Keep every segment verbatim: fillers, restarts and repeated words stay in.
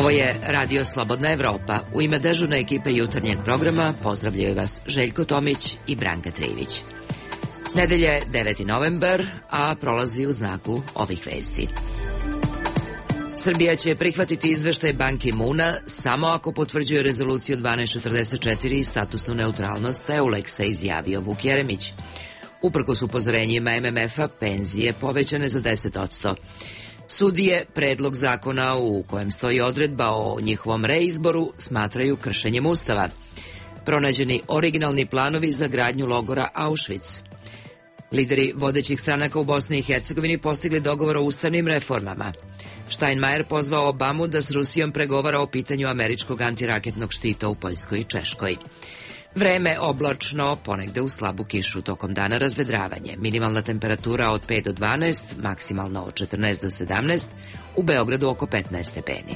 Ovo je Radio Slobodna Evropa. U ime dežurne ekipe jutarnjeg programa pozdravljaju vas Željko Tomić i Branka Trivić. Nedelje je deveti novembar, a prolazi u znaku ovih vesti. Srbija će prihvatiti izveštaj Ban Ki-moona samo ako potvrđuje rezoluciju dvanaest četrdeset četiri i statusnu neutralnost Euleksa, izjavio Vuk Jeremić. Uprkos upozorenjima M M F-a, penzije povećane za deset posto. Sudije predlog zakona u kojem stoji odredba o njihovom reizboru smatraju kršenjem Ustava. Pronađeni originalni planovi za gradnju logora Auschwitz. Lideri vodećih stranaka u Bosni i Hercegovini postigli dogovor o ustavnim reformama. Steinmeier pozvao Obamu da s Rusijom pregovara o pitanju američkog antiraketnog štita u Poljskoj i Češkoj. Vreme oblačno, ponegde u slabu kišu, tokom dana razvedravanje. Minimalna temperatura od pet do dvanaest, maksimalno od četrnaest do sedamnaest, u Beogradu oko petnaest stepeni.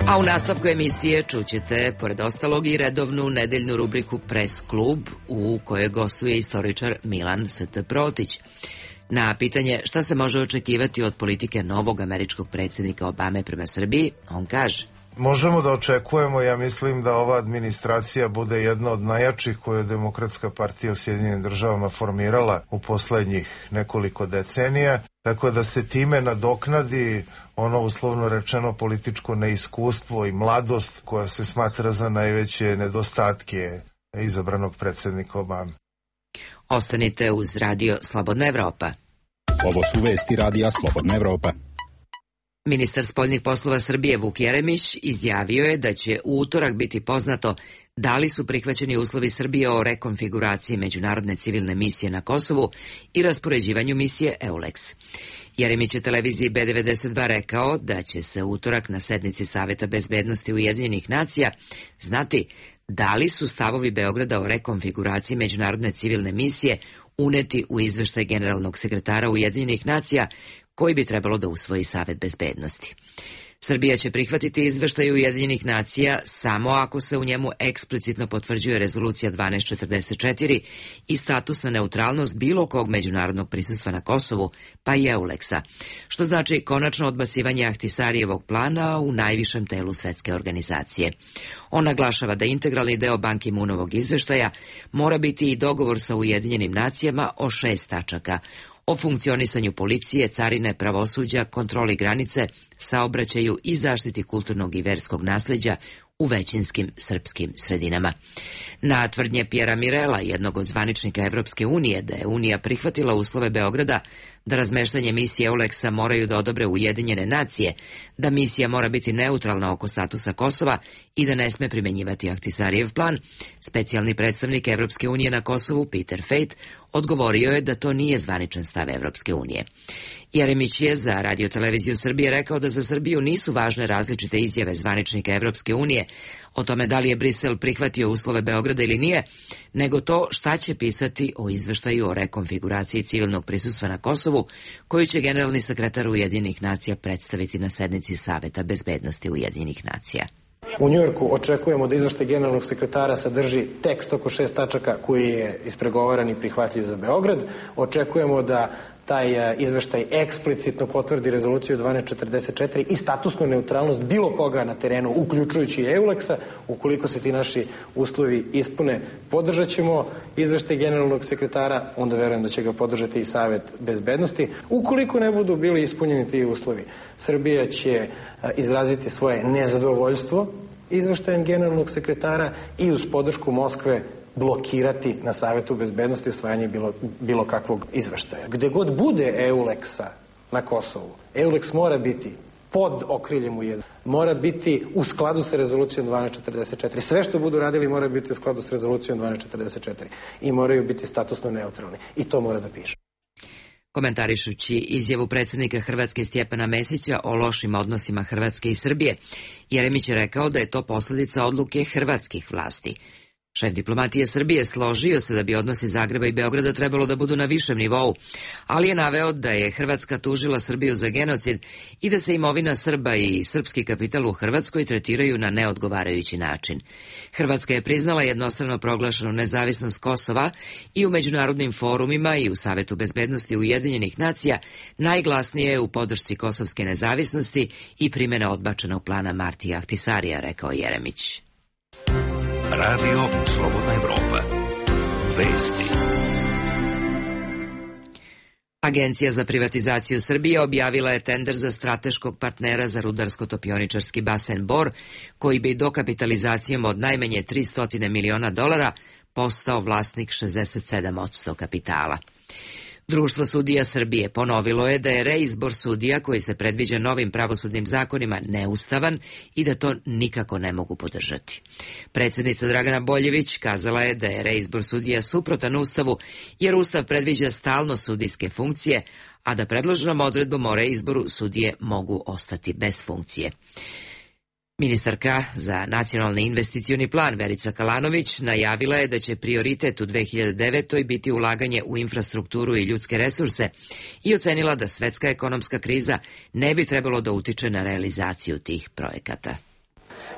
A u nastavku emisije čućete, pored ostalog, i redovnu nedeljnu rubriku Press Klub, u kojoj gostuje istoričar Milan S T Protić. Na pitanje šta se može očekivati od politike novog američkog predsjednika Obame prema Srbiji, on kaže: Možemo da očekujemo, ja mislim da ova administracija bude jedna od najjačih koju je Demokratska partija u Sjedinjenim državama formirala u poslednjih nekoliko decenija, tako da se time nadoknadi ono uslovno rečeno političko neiskustvo i mladost koja se smatra za najveće nedostatke izabranog predsjednika Obame. Ostanite uz Radio Slobodna Evropa. Ovo su vesti Radija Slobodna Evropa. Ministar spoljnih poslova Srbije Vuk Jeremić izjavio je da će u utorak biti poznato da li su prihvaćeni uslovi Srbije o rekonfiguraciji međunarodne civilne misije na Kosovu i raspoređivanju misije Euleks. Jeremić je televiziji B devedeset dva rekao da će se u utorak na sednici Saveta bezbednosti Ujedinjenih nacija znati da li su stavovi Beograda o rekonfiguraciji međunarodne civilne misije uneti u izveštaj generalnog sekretara Ujedinjenih nacija koji bi trebalo da usvoji Savet bezbednosti. Srbija će prihvatiti izveštaj Ujedinjenih nacija samo ako se u njemu eksplicitno potvrđuje rezolucija dvanaest četrdeset četiri i statusna neutralnost bilo kog međunarodnog prisustva na Kosovu, pa i Euleksa, što znači konačno odbacivanje Ahtisarijevog plana u najvišem telu svetske organizacije. On naglašava da integralni deo Ban Ki-moonovog izveštaja mora biti i dogovor sa Ujedinjenim nacijama o šest tačaka: o funkcionisanju policije, carine, pravosuđa, kontroli granice, saobraćaju i zaštiti kulturnog i verskog nasleđa u većinskim srpskim sredinama. Na tvrdnje Pjera Mirela, jednog od zvaničnika Evropske unije, da je Unija prihvatila uslove Beograda da razmeštanje misije Euleksa moraju da odobre Ujedinjene nacije, da misija mora biti neutralna oko statusa Kosova i da ne sme primenjivati Ahtisarijev plan, specijalni predstavnik Evropske unije na Kosovu, Peter Fejt, odgovorio je da to nije zvaničan stav Evropske unije. Jeremić je za Radio-televiziju Srbije rekao da za Srbiju nisu važne različite izjave zvaničnika Evropske unije o tome da li je Brisel prihvatio uslove Beograda ili nije, nego to šta će pisati o izveštaju o rekonfiguraciji civilnog prisustva na Kosovu, koju će generalni sekretar Ujedinjenih nacija predstaviti na sednici Saveta bezbednosti Ujedinjenih nacija. U Njujorku očekujemo da izveštaj generalnog sekretara sadrži tekst oko šest tačaka koji je ispregovaran i prihvatljiv za Beograd. Očekujemo da taj izveštaj eksplicitno potvrdi rezoluciju dvanaest četrdeset četiri i statusnu neutralnost bilo koga na terenu, uključujući Euleksa. Ukoliko se ti naši uslovi ispune, podržat ćemo izveštaj generalnog sekretara, onda verujem da će ga podržati i Savet bezbednosti. Ukoliko ne budu bili ispunjeni ti uslovi, Srbija će izraziti svoje nezadovoljstvo izveštajem generalnog sekretara i uz podršku Moskve blokirati na Savetu bezbednosti usvajanje bilo, bilo kakvog izveštaja. Gde god bude Euleksa na Kosovu, Euleks mora biti pod okriljem ujedinjenih, mora biti u skladu sa rezolucijom dvanaest četrdeset četiri. Sve što budu radili mora biti u skladu sa rezolucijom dvanaest četrdeset četiri i moraju biti statusno neutralni. I to mora da piše. Komentarišući izjavu predsjednika Hrvatske Stjepana Mesića o lošim odnosima Hrvatske i Srbije, Jeremić je rekao da je to posljedica odluke hrvatskih vlasti. Šef diplomatije Srbije složio se da bi odnosi Zagreba i Beograda trebalo da budu na višem nivou, ali je naveo da je Hrvatska tužila Srbiju za genocid i da se imovina Srba i srpski kapital u Hrvatskoj tretiraju na neodgovarajući način. Hrvatska je priznala jednostrano proglašenu nezavisnost Kosova i u međunarodnim forumima i u Savetu bezbednosti Ujedinjenih nacija najglasnije je u podršci kosovske nezavisnosti i primjena odbačenog plana Martija Ahtisarija, rekao Jeremić. Radio Slobodna Evropa. Vesti. Agencija za privatizaciju Srbije objavila je tender za strateškog partnera za rudarsko-topioničarski basen Bor, koji bi dokapitalizacijom od najmanje tristo miliona dolara postao vlasnik šezdeset sedam posto kapitala. Društvo sudija Srbije ponovilo je da je reizbor sudija koji se predviđa novim pravosudnim zakonima neustavan i da to nikako ne mogu podržati. Predsjednica Dragana Boljević kazala je da je reizbor sudija suprotan Ustavu jer Ustav predviđa stalno sudijske funkcije, a da predloženom odredbom o reizboru sudije mogu ostati bez funkcije. Ministarka za nacionalni investicioni plan Verica Kalanović najavila je da će prioritet u dve hiljade devetoj biti ulaganje u infrastrukturu i ljudske resurse i ocenila da svetska ekonomska kriza ne bi trebalo da utiče na realizaciju tih projekata.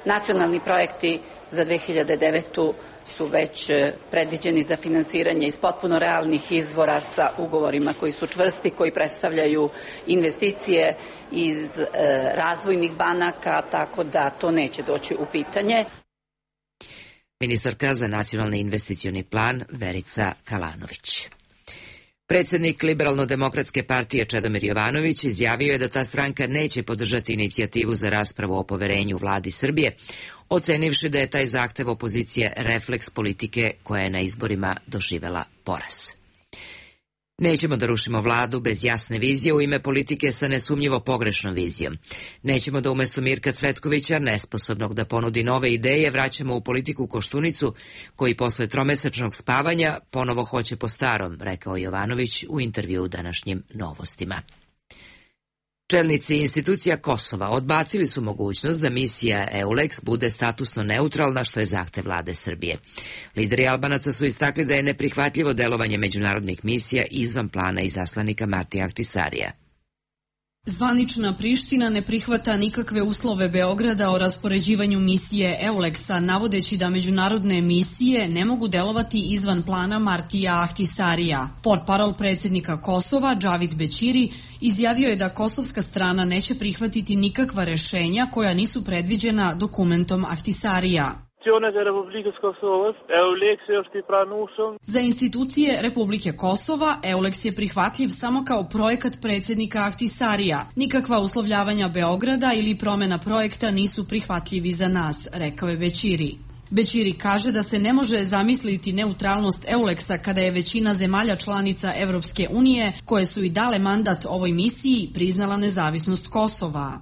Nacionalni projekti za dve hiljade devetu su već predviđeni za finansiranje iz potpuno realnih izvora sa ugovorima koji su čvrsti, koji predstavljaju investicije iz e, razvojnih banaka, tako da to neće doći u pitanje. Ministarka za nacionalni investicioni plan Verica Kalanović. Predsjednik Liberalno-demokratske partije Čedomir Jovanović izjavio je da ta stranka neće podržati inicijativu za raspravu o poverenju vladi Srbije, ocenivši da je taj zahtev opozicije refleks politike koja je na izborima doživela poraz. Nećemo da rušimo vladu bez jasne vizije u ime politike sa nesumnjivo pogrešnom vizijom. Nećemo da umjesto Mirka Cvetkovića, nesposobnog da ponudi nove ideje, vraćamo u politiku Koštunicu, koji posle tromesečnog spavanja ponovo hoće po starom, rekao Jovanović u intervju u današnjim Novostima. Čelnici institucija Kosova odbacili su mogućnost da misija EULEX bude statusno neutralna, što je zahtev vlade Srbije. Lideri Albanaca su istakli da je neprihvatljivo delovanje međunarodnih misija izvan plana izaslanika Martija Ahtisarija. Zvanična Priština ne prihvata nikakve uslove Beograda o raspoređivanju misije EULEX-a, navodeći da međunarodne misije ne mogu delovati izvan plana Martija Ahtisarija. Portparol predsjednika Kosova, Džavid Bećiri, izjavio je da kosovska strana neće prihvatiti nikakva rešenja koja nisu predviđena dokumentom Ahtisarija. Za institucije Republike Kosova, EULEX je prihvatljiv samo kao projekat predsjednika Ahtisarija. Nikakva uslovljavanja Beograda ili promjena projekta nisu prihvatljivi za nas, rekao je Bećiri. Bećiri kaže da se ne može zamisliti neutralnost EULEX-a kada je većina zemalja članica Evropske unije, koje su i dale mandat ovoj misiji, priznala nezavisnost Kosova.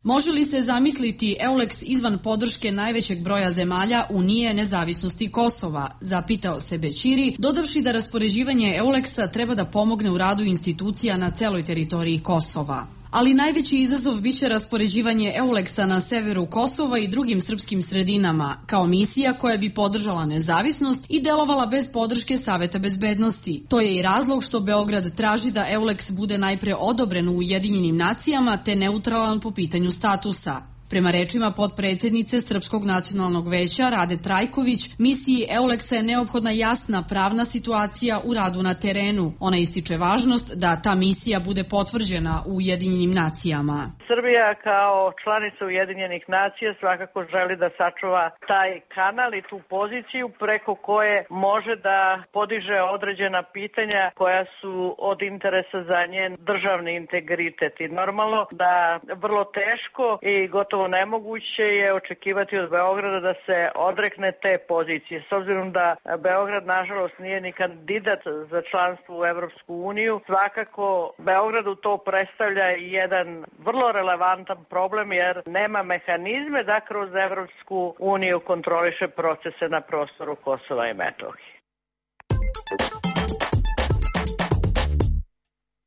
Može li se zamisliti EULEX izvan podrške najvećeg broja zemalja Unije nezavisnosti Kosova, zapitao se Bećiri, dodavši da raspoređivanje EULEX-a treba da pomogne u radu institucija na celoj teritoriji Kosova. Ali najveći izazov biće raspoređivanje EULEX-a na severu Kosova i drugim srpskim sredinama, kao misija koja bi podržala nezavisnost i delovala bez podrške Saveta bezbednosti. To je i razlog što Beograd traži da EULEX bude najpre odobren u Ujedinjenim nacijama te neutralan po pitanju statusa. Prema rečima potpredsjednice Srpskog nacionalnog veća Rade Trajković, misiji EULEX-a je neophodna jasna pravna situacija u radu na terenu. Ona ističe važnost da ta misija bude potvrđena u Ujedinjenim nacijama. Srbija kao članica Ujedinjenih nacija svakako želi da sačuva taj kanal i tu poziciju preko koje može da podiže određena pitanja koja su od interesa za njen državni integritet. I normalno da vrlo teško i gotovo nemoguće je očekivati od Beograda da se odrekne te pozicije. S obzirom da Beograd nažalost nije ni kandidat za članstvo u Evropsku uniju, svakako Beogradu to predstavlja jedan vrlo relevantan problem jer nema mehanizme da kroz Evropsku uniju kontroliše procese na prostoru Kosova i Metohije.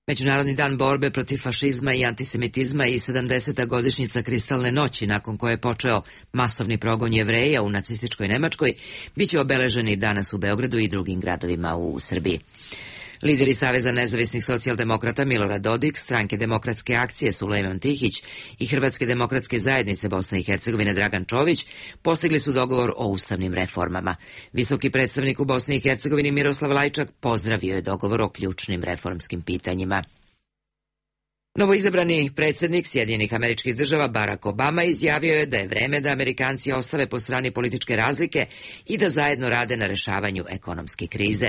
Međunarodni dan borbe protiv fašizma i antisemitizma i sedamdeseta godišnjica Kristalne noći, nakon koje je počeo masovni progon Jevreja u nacističkoj Nemačkoj, biće obeleženi danas u Beogradu i drugim gradovima u Srbiji. Lideri Saveza nezavisnih socijaldemokrata Milorad Dodik, Stranke demokratske akcije Sulejman Tihić i Hrvatske demokratske zajednice Bosne i Hercegovine Dragan Čović postigli su dogovor o ustavnim reformama. Visoki predstavnik u Bosni i Hercegovini Miroslav Lajčak pozdravio je dogovor o ključnim reformskim pitanjima. Novoizabrani predsjednik Sjedinjenih Američkih Država Barack Obama izjavio je da je vreme da Amerikanci ostave po strani političke razlike i da zajedno rade na rešavanju ekonomske krize.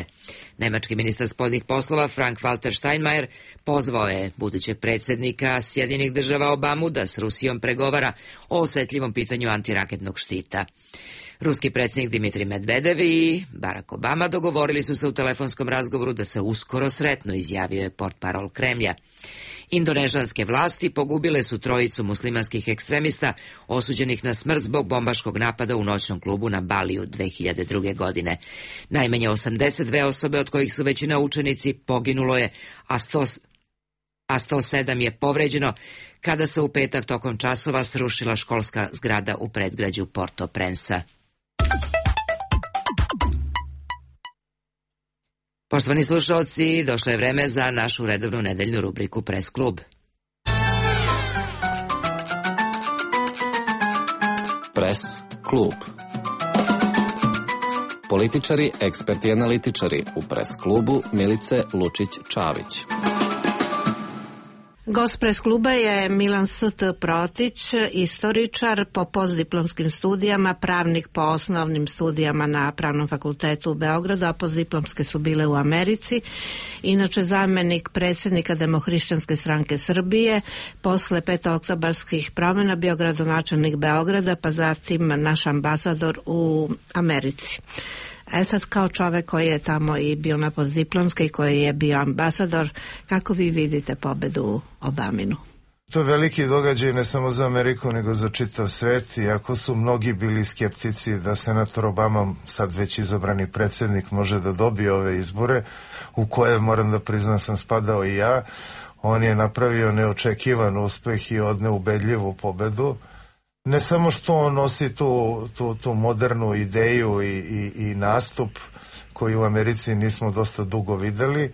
Nemački ministar spoljnih poslova Frank-Walter Steinmeier pozvao je budućeg predsjednika Sjedinjenih Država Obamu da s Rusijom pregovara o osetljivom pitanju antiraketnog štita. Ruski predsjednik Dimitrij Medvedev i Barack Obama dogovorili su se u telefonskom razgovoru da se uskoro sretnu, izjavio je portparol Kremlja. Indonežanske vlasti pogubile su trojicu muslimanskih ekstremista osuđenih na smrt zbog bombaškog napada u noćnom klubu na Baliju dve hiljade druge. godine. Najmanje osamdeset dve osobe, od kojih su većina učenici, poginulo je, a sto, a sto sedam je povređeno kada se u petak tokom časova srušila školska zgrada u predgrađu Port-au-Prince-a. Poštovani slušalci, došlo je vreme za našu redovnu nedeljnu rubriku Press klub. Press klub. Političari, eksperti i analitičari u Press klubu Milice Lučić-Čavić. Gost Press kluba je Milan S T Protić, istoričar po postdiplomskim studijama, pravnik po osnovnim studijama na Pravnom fakultetu u Beogradu, a postdiplomske su bile u Americi. Inače zamjenik predsjednika Demohrišćanske stranke Srbije, posle petooktobarskih promjena bio gradonačelnik Beograda, pa zatim naš ambasador u Americi. E sad, kao čovek koji je tamo i bio na postdiplomske i koji je bio ambasador, kako vi vidite pobedu Obaminu? To je veliki događaj ne samo za Ameriku, nego za čitav svet, iako su mnogi bili skeptici da senator Obama, sad već izabrani predsjednik, može da dobije ove izbore, u koje, moram da priznam, sam spadao i ja. On je napravio neočekivan uspeh i odneo ubedljivu pobedu. Ne samo što on nosi tu, tu, tu modernu ideju i, i, i nastup koji u Americi nismo dosta dugo videli,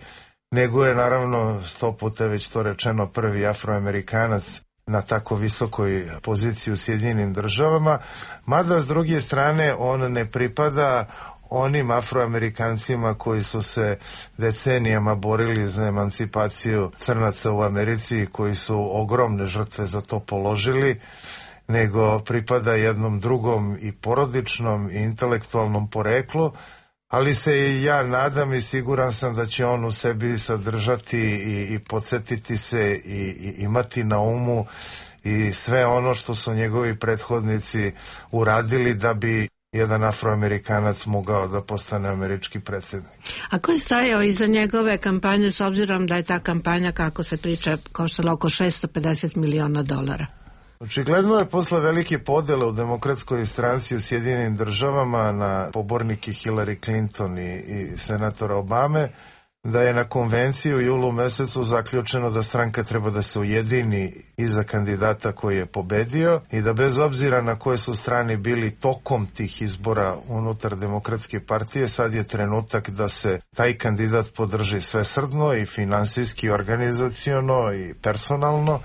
nego je naravno sto puta već to rečeno prvi afroamerikanac na tako visokoj poziciji u Sjedinjenim Državama, mada s druge strane on ne pripada onim afroamerikancima koji su se decenijama borili za emancipaciju crnaca u Americi, koji su ogromne žrtve za to položili, nego pripada jednom drugom i porodičnom i intelektualnom poreklu, ali se i ja nadam i siguran sam da će on u sebi sadržati i, i podsjetiti se i, i imati na umu i sve ono što su njegovi prethodnici uradili da bi jedan afroamerikanac mogao da postane američki predsjednik. A ko je stajao iza njegove kampanje, s obzirom da je ta kampanja, kako se priča, koštala oko šesto pedeset miliona dolara? Očigledno je posle velike podele u demokratskoj stranci u Sjedinjenim Državama na pobornike Hillary Clinton i, i senatora Obame, da je na konvenciji u julu mesecu zaključeno da stranka treba da se ujedini iza kandidata koji je pobedio i da bez obzira na koje su strane bili tokom tih izbora unutar Demokratske partije, sad je trenutak da se taj kandidat podrži svesrdno i finansijski, organizaciono i personalno.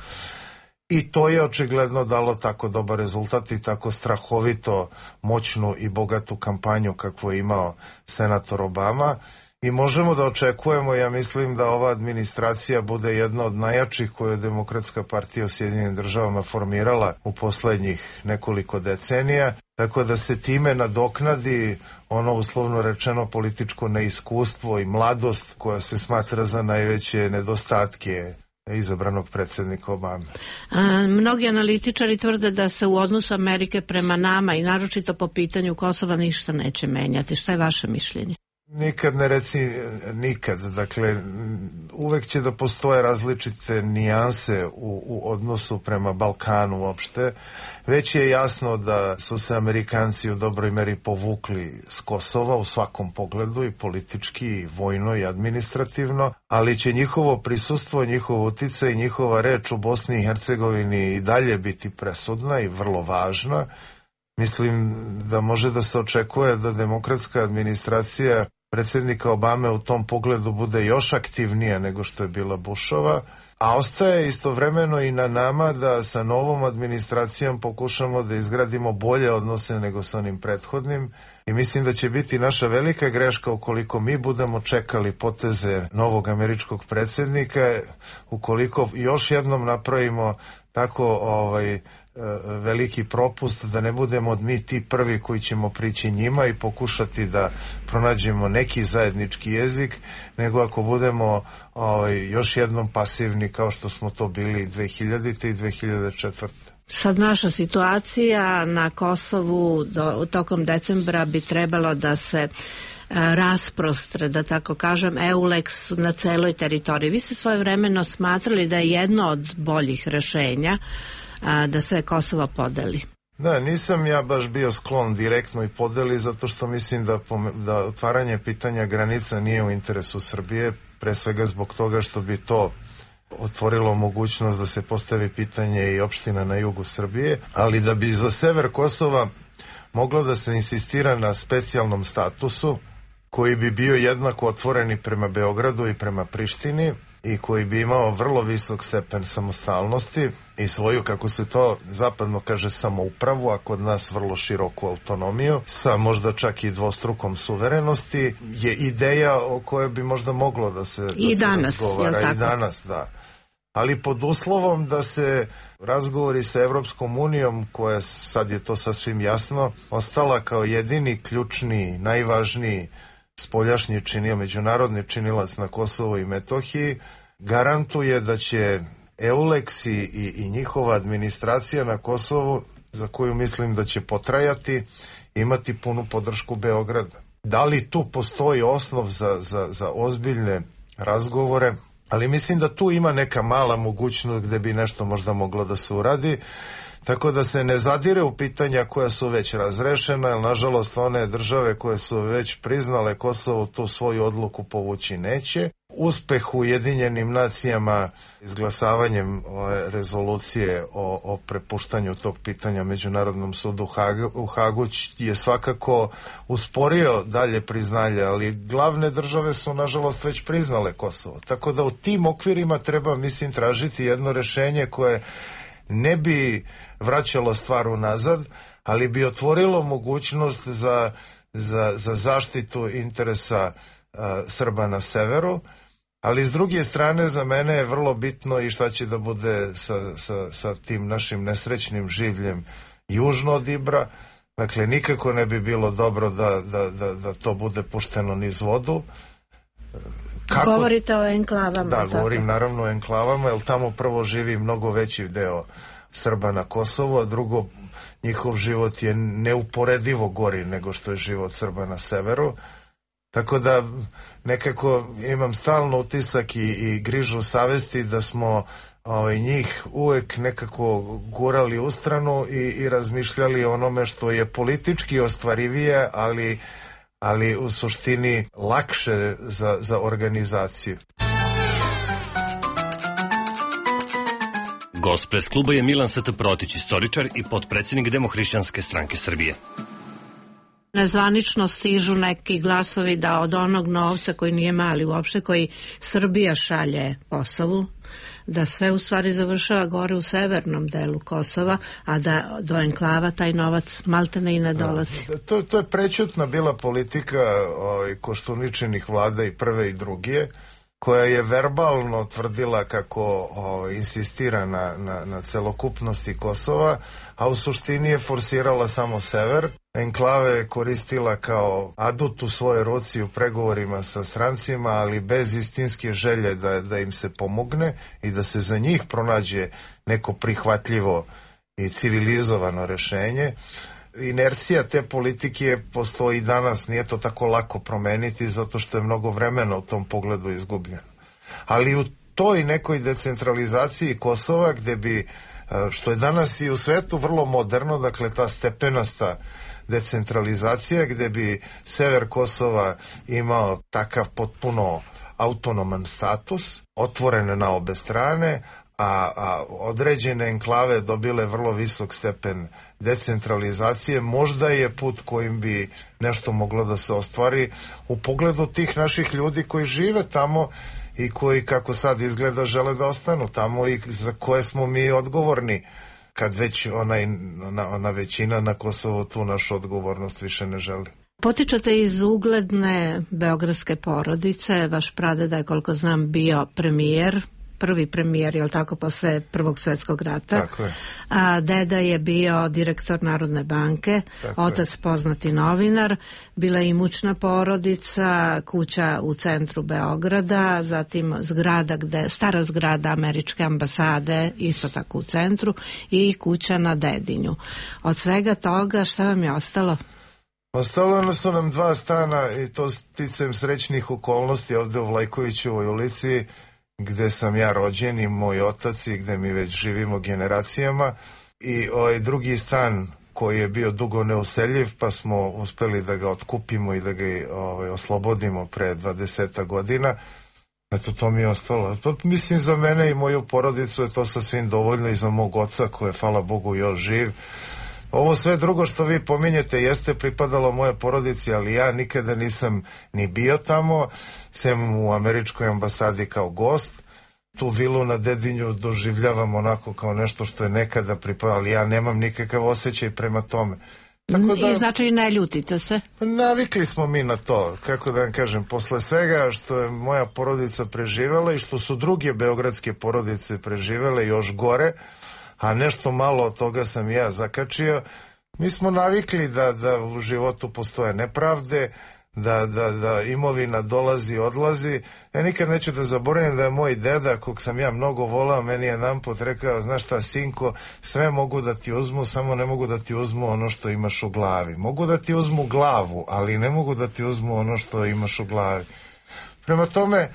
I to je očigledno dalo tako dobar rezultat i tako strahovito moćnu i bogatu kampanju kakvu je imao senator Obama. I možemo da očekujemo, ja mislim, da ova administracija bude jedna od najjačih koju je Demokratska partija u Sjedinjenim Državama formirala u poslednjih nekoliko decenija, tako da se time nadoknadi ono uslovno rečeno političko neiskustvo i mladost koja se smatra za najveće nedostatke izabranog predsjednika Obame. A, mnogi analitičari tvrde da se u odnosu Amerike prema nama i naročito po pitanju Kosova ništa neće menjati. Šta je vaše mišljenje? Nikad ne reci nikad, dakle uvek će da postoje različite nijanse u, u odnosu prema Balkanu uopšte. Već je jasno da su se Amerikanci u dobroj meri povukli s Kosova u svakom pogledu, i politički, i vojno, i administrativno, ali će njihovo prisustvo, njihov uticaj i njihova reč u Bosni i Hercegovini i dalje biti presudna i vrlo važna. Mislim da može da se očekuje da demokratska administracija predsjednika Obame u tom pogledu bude još aktivnija nego što je bila Bushova, a ostaje istovremeno i na nama da sa novom administracijom pokušamo da izgradimo bolje odnose nego sa onim prethodnim, i mislim da će biti naša velika greška ukoliko mi budemo čekali poteze novog američkog predsjednika, ukoliko još jednom napravimo tako ovaj veliki propust da ne budemo mi ti prvi koji ćemo prići njima i pokušati da pronađemo neki zajednički jezik, nego ako budemo ovaj, još jednom pasivni kao što smo to bili dve hiljadite i dve hiljade četvrte. Sad naša situacija na Kosovu do, tokom decembra bi trebalo da se rasprostre, da tako kažem, EULEX na celoj teritoriji. Vi ste svojevremeno smatrali da je jedno od boljih rešenja a, da se Kosovo podeli. Da, nisam ja baš bio sklon direktno i podeli, zato što mislim da, da otvaranje pitanja granica nije u interesu Srbije, pre svega zbog toga što bi to otvorilo mogućnost da se postavi pitanje i opština na jugu Srbije, ali da bi za sever Kosova moglo da se insistira na specijalnom statusu koji bi bio jednako otvoren i prema Beogradu i prema Prištini, i koji bi imao vrlo visok stepen samostalnosti i svoju, kako se to zapadno kaže, samoupravu, a kod nas vrlo široku autonomiju, sa možda čak i dvostrukom suverenosti, je ideja o kojoj bi možda moglo da se, da I se danas, razgovara. Jel tako? I danas, da. Ali pod uslovom da se razgovori sa Evropskom unijom, koja, sad je to sasvim jasno, ostala kao jedini, ključni, najvažniji spoljašnji činio, međunarodni činilac na Kosovu i Metohiji, garantuje da će EULEX i, i, i njihova administracija na Kosovu, za koju mislim da će potrajati, imati punu podršku Beograda. Da li tu postoji osnov za, za, za ozbiljne razgovore? Ali mislim da tu ima neka mala mogućnost gde bi nešto možda moglo da se uradi, tako da se ne zadire u pitanja koja su već razrešena, jer nažalost one države koje su već priznale Kosovo tu svoju odluku povući neće. Uspeh u Ujedinjenim nacijama izglasavanjem ove rezolucije o, o prepuštanju tog pitanja Međunarodnom sudu u Hagu je svakako usporio dalje priznanje, ali glavne države su nažalost već priznale Kosovo. Tako da u tim okvirima treba, mislim, tražiti jedno rešenje koje ne bi vraćalo stvar unazad, ali bi otvorilo mogućnost za, za, za zaštitu interesa a, Srba na severu, ali s druge strane za mene je vrlo bitno i šta će da bude sa, sa, sa tim našim nesrećnim življem južno od Ibra. Dakle, nikako ne bi bilo dobro da, da, da, da to bude pušteno niz vodu. Kako? Govorite o enklavama. Da, govorim naravno o enklavama, jer tamo prvo živi mnogo veći deo Srba na Kosovu, a drugo, njihov život je neuporedivo gori nego što je život Srba na severu. Tako da nekako imam stalno utisak i, i grižu savesti da smo ovaj, njih uvek nekako gurali u stranu i, i razmišljali o onome što je politički ostvarivije, ali ali u suštini lakše za, za organizaciju. Gost pres kluba je Milan St. Protić, istoričar i potpredsjednik Demohrišćanske stranke Srbije. Nezvanično stižu neki glasovi da od onog novca koji nije mali uopšte, koji Srbija šalje Kosovu, da sve u stvari završava gore u severnom delu Kosova, a da do enklava taj novac maltene i ne dolazi. Da, to, to je prećutna bila politika ovaj, Koštuničinih vlada i prve i druge, koja je verbalno tvrdila kako o, insistira na, na, na celokupnosti Kosova, a u suštini je forsirala samo sever. Enklave je koristila kao adut u svojoj ruci u pregovorima sa strancima, ali bez istinske želje da, da im se pomogne i da se za njih pronađe neko prihvatljivo i civilizovano rešenje. Inercija te politike postoji danas, nije to tako lako promeniti zato što je mnogo vremena u tom pogledu izgubljeno. Ali u toj nekoj decentralizaciji Kosova gde bi, što je danas i u svetu vrlo moderno, dakle ta stepenasta decentralizacija gde bi sever Kosova imao takav potpuno autonoman status, otvoren na obe strane, a, a određene enklave dobile vrlo visok stepen decentralizacije, možda je put kojim bi nešto moglo da se ostvari u pogledu tih naših ljudi koji žive tamo i koji, kako sad izgleda, žele da ostanu tamo i za koje smo mi odgovorni, kad već onaj, ona, ona većina na Kosovu tu našu odgovornost više ne želi. Potičete iz ugledne beogradske porodice, vaš pradeda je, koliko znam, bio premijer, prvi premijer, je li tako, posle Prvog svjetskog rata. Tako je. A deda je bio direktor Narodne banke, tako otac je poznati novinar, bila je imućna porodica, kuća u centru Beograda, zatim zgrada gde, stara zgrada američke ambasade, isto tako u centru, i kuća na Dedinju. Od svega toga šta vam je ostalo? Ostalo su nam dva stana i to sticajem srećnih okolnosti ovde u Vlajkovićevoj ulici, gde sam ja rođen i moj otac i gde mi već živimo generacijama, i ovaj drugi stan koji je bio dugo neuseljiv, pa smo uspeli da ga otkupimo i da ga ovaj, oslobodimo pre dvadeset godina. Eto, to mi je ostalo. To, mislim, za mene i moju porodicu je to sasvim dovoljno, i za mog oca koji je, hvala Bogu, još živ. Ovo sve drugo što vi pominjete jeste pripadalo moje porodici, ali ja nikada nisam ni bio tamo, sem u američkoj ambasadi kao gost. Tu vilu na Dedinju doživljavam onako kao nešto što je nekada pripadalo, ali ja nemam nikakav osjećaj prema tome. Tako da, i znači ne ljutite se? Navikli smo mi na to, kako da vam kažem, posle svega što je moja porodica preživela i što su druge beogradske porodice preživele još gore, a nešto malo od toga sam ja zakačio. Mi smo navikli da, da u životu postoje nepravde, da, da, da imovina dolazi i odlazi. Ja nikad neću da zaboravim da je moj deda, kog sam ja mnogo volao, meni je jedanput rekao, znaš šta, sinko, sve mogu da ti uzmu, samo ne mogu da ti uzmu ono što imaš u glavi. Mogu da ti uzmu glavu, ali ne mogu da ti uzmu ono što imaš u glavi. Prema tome,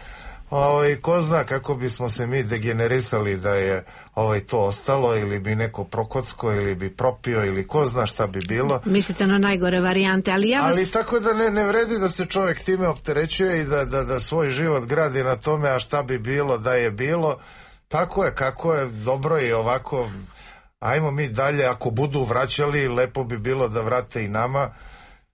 ovaj, ko zna kako bismo se mi degenerisali da je ovaj, to ostalo, ili bi neko prokocko, ili bi propio, ili ko zna šta bi bilo. Mislite na najgore varijante, ali ja vas... Ali tako da ne, ne vredi da se čovjek time opterećuje i da, da, da svoj život gradi na tome, a šta bi bilo da je bilo. Tako je, kako je, dobro je ovako. Ajmo mi dalje, ako budu vraćali, lepo bi bilo da vrate i nama.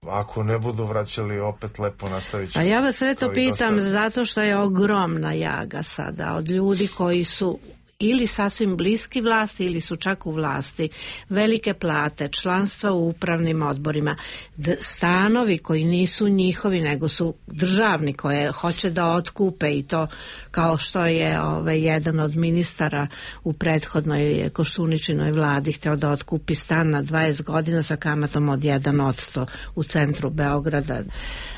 Ako ne budu vraćali, opet lepo nastavit ćemo. A ja vas sve to pitam zato što je ogromna jaga sada od ljudi koji su ili sasvim bliski vlasti ili su čak u vlasti, velike plate, članstva u upravnim odborima, stanovi koji nisu njihovi nego su državni, koje hoće da otkupe, i to kao što je ovaj, jedan od ministara u prethodnoj Koštuničinoj vladi hteo da otkupi stan na dvadeset godina sa kamatom od jedan posto u centru Beograda.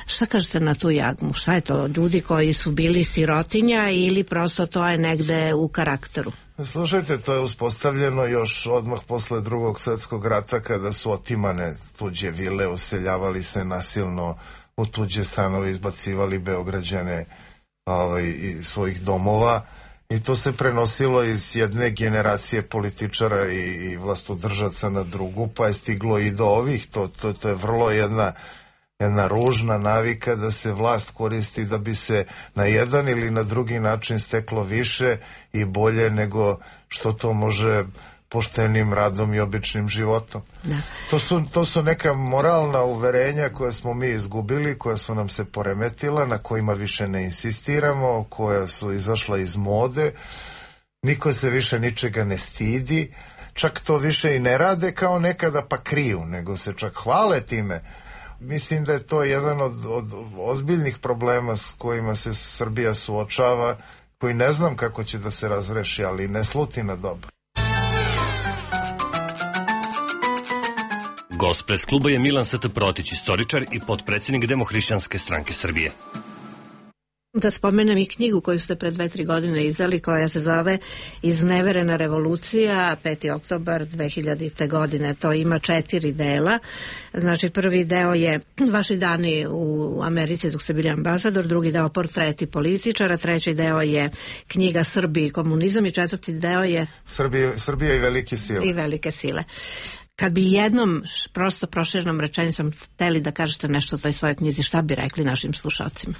Šta kažete na tu jagmu? Šta je to? Ljudi koji su bili sirotinja ili prosto to je negde u karakteru? Slušajte, to je uspostavljeno još odmah posle Drugog svjetskog rata, kada su otimane tuđe vile, useljavali se nasilno u tuđe stanove, izbacivali Beograđane ovaj, iz svojih domova, i to se prenosilo iz jedne generacije političara i, i vlastodržaca na drugu, pa je stiglo i do ovih. To, to, to je vrlo jedna jedna ružna navika da se vlast koristi da bi se na jedan ili na drugi način steklo više i bolje nego što to može poštenim radom i običnim životom. Da. To su, to su neka moralna uverenja koje smo mi izgubili, koja su nam se poremetila, na kojima više ne insistiramo, koja su izašla iz mode. Niko se više ničega ne stidi, čak to više i ne rade kao nekada pa kriju, nego se čak hvale time. Mislim da je to jedan od, od ozbiljnih problema s kojima se Srbija suočava, koji ne znam kako će da se razreši, ali ne sluti na dobro. Gost pres kluba je Milan S T Protić, istoričar i potpredsjednik Demohrišćanske stranke Srbije. Da spomenem i knjigu koju ste pre dve, tri godine izdali, koja se zove Izneverena revolucija, peti oktobar dve hiljadite godine. To ima četiri dela. Znači, prvi deo je vaši dani u Americi dok ste bili ambasador, drugi deo portreti političara, treći deo je knjiga Srbiji i komunizam i četvrti deo je Srbije, Srbija i velike sile. I velike sile. Kad bi jednom prosto proširenom rečenicom hteli da kažete nešto o toj svojoj knjizi, šta bi rekli našim slušalcima?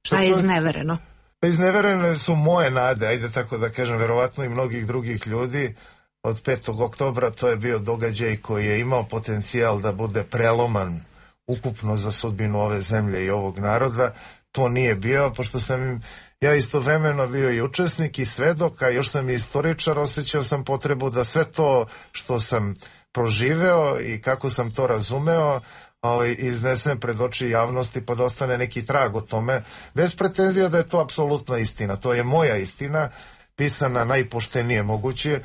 Šta je iznevereno? Pa izneverene su moje nade, ajde tako da kažem, verovatno i mnogih drugih ljudi. Od petog oktobra to je bio događaj koji je imao potencijal da bude preloman ukupno za sudbinu ove zemlje i ovog naroda. To nije bio, pošto sam ja istovremeno bio i učesnik i svedok, a još sam i istoričar, osjećao sam potrebu da sve to što sam proživeo i kako sam to razumeo ovaj, iznesem pred oči javnosti pa da ostane neki trag o tome, bez pretenzija da je to apsolutna istina. To je moja istina, pisana najpoštenije moguće,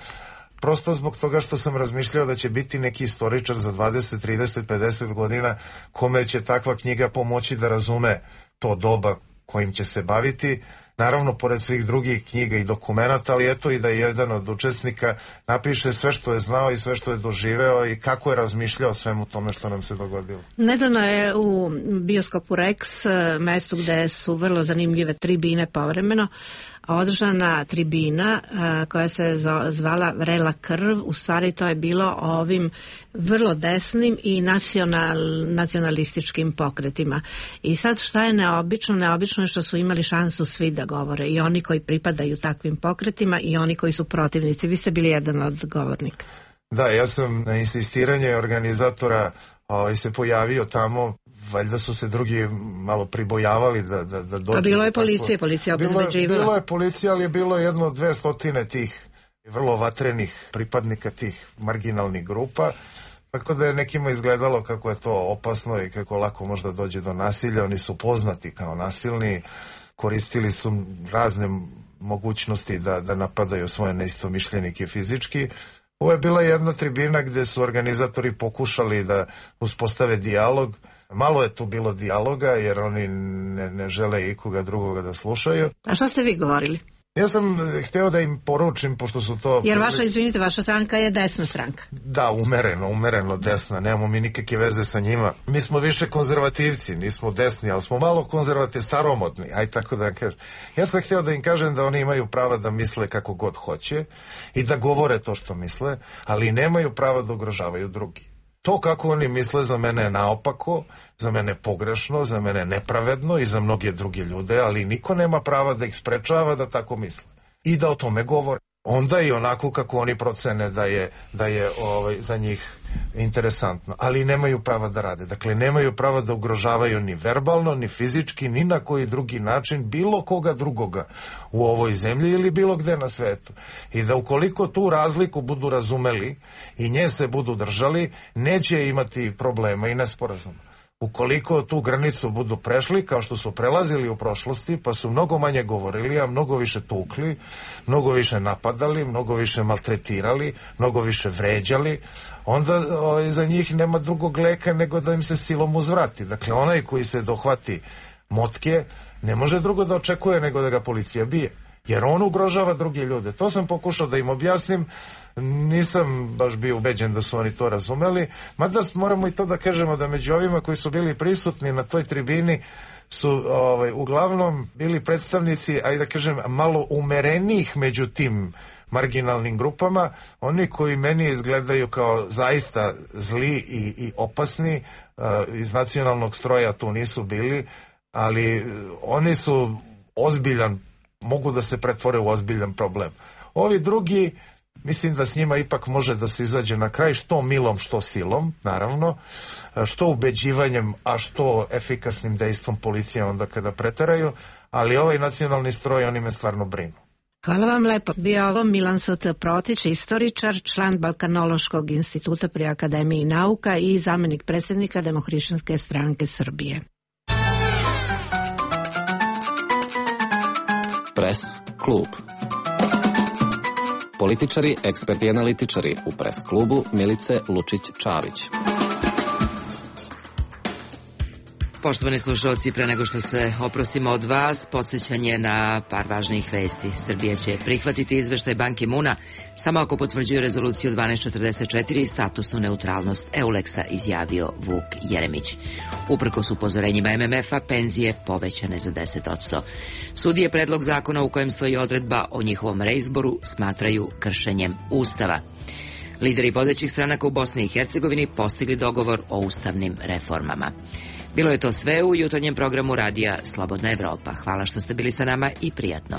prosto zbog toga što sam razmišljao da će biti neki istoričar za dvadeset, trideset, pedeset godina kome će takva knjiga pomoći da razume to doba kojim će se baviti. Naravno, pored svih drugih knjiga i dokumenata, ali eto i da je jedan od učesnika napiše sve što je znao i sve što je doživeo i kako je razmišljao o svemu tome što nam se dogodilo. Nedavno je u bioskopu Rex, mestu gde su vrlo zanimljive tribine povremeno, održana tribina a, koja se zvala Vrela krv. U stvari to je bilo o ovim vrlo desnim i nacional, nacionalističkim pokretima. I sad šta je neobično? Neobično je što su imali šansu svi da govore, i oni koji pripadaju takvim pokretima i oni koji su protivnici. Vi ste bili jedan od govornika. Da, ja sam na insistiranje organizatora ovaj, se pojavio tamo. Valjda su se drugi malo pribojavali da, da, da dođu. A bilo je policija, tako... policija bilo, obezbeđivala. Bilo je policija, ali je bilo jedno dve stotine tih vrlo vatrenih pripadnika tih marginalnih grupa, tako da je nekima izgledalo kako je to opasno i kako lako možda dođe do nasilja. Oni su poznati kao nasilni, koristili su razne mogućnosti da, da napadaju svoje neistomišljenike fizički. Ovo je bila jedna tribina gde su organizatori pokušali da uspostave dijalog. Malo je tu bilo dijaloga jer oni ne, ne žele ikoga drugoga da slušaju. A šta ste vi govorili? Ja sam hteo da im poručim, pošto su to... Jer vaša, izvinite, vaša stranka je desna stranka. Da, umereno, umereno desna, nemamo mi nikakve veze sa njima. Mi smo više konzervativci, nismo desni, ali smo malo konzervativni, staromodni, aj tako da kažem. Ja sam hteo da im kažem da oni imaju prava da misle kako god hoće i da govore to što misle, ali nemaju prava da ugrožavaju drugi. To kako oni misle za mene je naopako, za mene je pogrešno, za mene je nepravedno i za mnoge druge ljude, ali niko nema prava da ih sprečava da tako misle i da o tome govore. Onda i onako kako oni procene da je, da je ovaj, za njih interesantno, ali nemaju prava da rade. Dakle, nemaju prava da ugrožavaju ni verbalno, ni fizički, ni na koji drugi način bilo koga drugoga u ovoj zemlji ili bilo gde na svetu. I da ukoliko tu razliku budu razumeli i nje se budu držali, neće imati problema i nesporazuma. Ukoliko tu granicu budu prešli, kao što su prelazili u prošlosti, pa su mnogo manje govorili, a mnogo više tukli, mnogo više napadali, mnogo više maltretirali, mnogo više vređali, onda o, za njih nema drugog leka nego da im se silom uzvrati. Dakle, onaj koji se dohvati motke ne može drugo da očekuje nego da ga policija bije, jer on ugrožava druge ljude. To sam pokušao da im objasnim, nisam baš bio ubeđen da su oni to razumeli, mada moramo i to da kažemo da među ovima koji su bili prisutni na toj tribini su ovaj, uglavnom bili predstavnici, ajde da kažem, malo umerenijih među tim marginalnim grupama, oni koji meni izgledaju kao zaista zli i, i opasni, uh, iz nacionalnog stroja tu nisu bili, ali oni su ozbiljan, mogu da se pretvore u ozbiljan problem. Ovi drugi, mislim da s njima ipak može da se izađe na kraj, što milom, što silom, naravno, što ubeđivanjem, a što efikasnim dejstvom policije onda kada preteraju, ali ovaj nacionalni stroj, oni me stvarno brinu. Hvala vam lepo. Bio ovo Milan S T Protić, istoričar, član Balkanološkog instituta pri Akademiji nauka i zamenik predsjednika Demohrišćanske stranke Srbije. Pres klub. Političari, eksperti i analitičari u Pres klubu Milice Lučić-Čavić. Poštovani slušalci, pre nego što se oprostimo od vas, podsjećanje na par važnijih vesti. Srbija će prihvatiti izveštaj Ban Ki-moona samo ako potvrđuje rezoluciju dvanaest četrdeset četiri i statusnu neutralnost Euleksa, izjavio Vuk Jeremić. Uprkos upozorenjima M M F-a, penzije povećane za deset posto. Sudije predlog zakona u kojem stoji odredba o njihovom reizboru smatraju kršenjem Ustava. Lideri vodećih stranaka u Bosni i Hercegovini postigli dogovor o ustavnim reformama. Bilo je to sve u jutarnjem programu radija Slobodna Evropa. Hvala što ste bili sa nama i prijatno.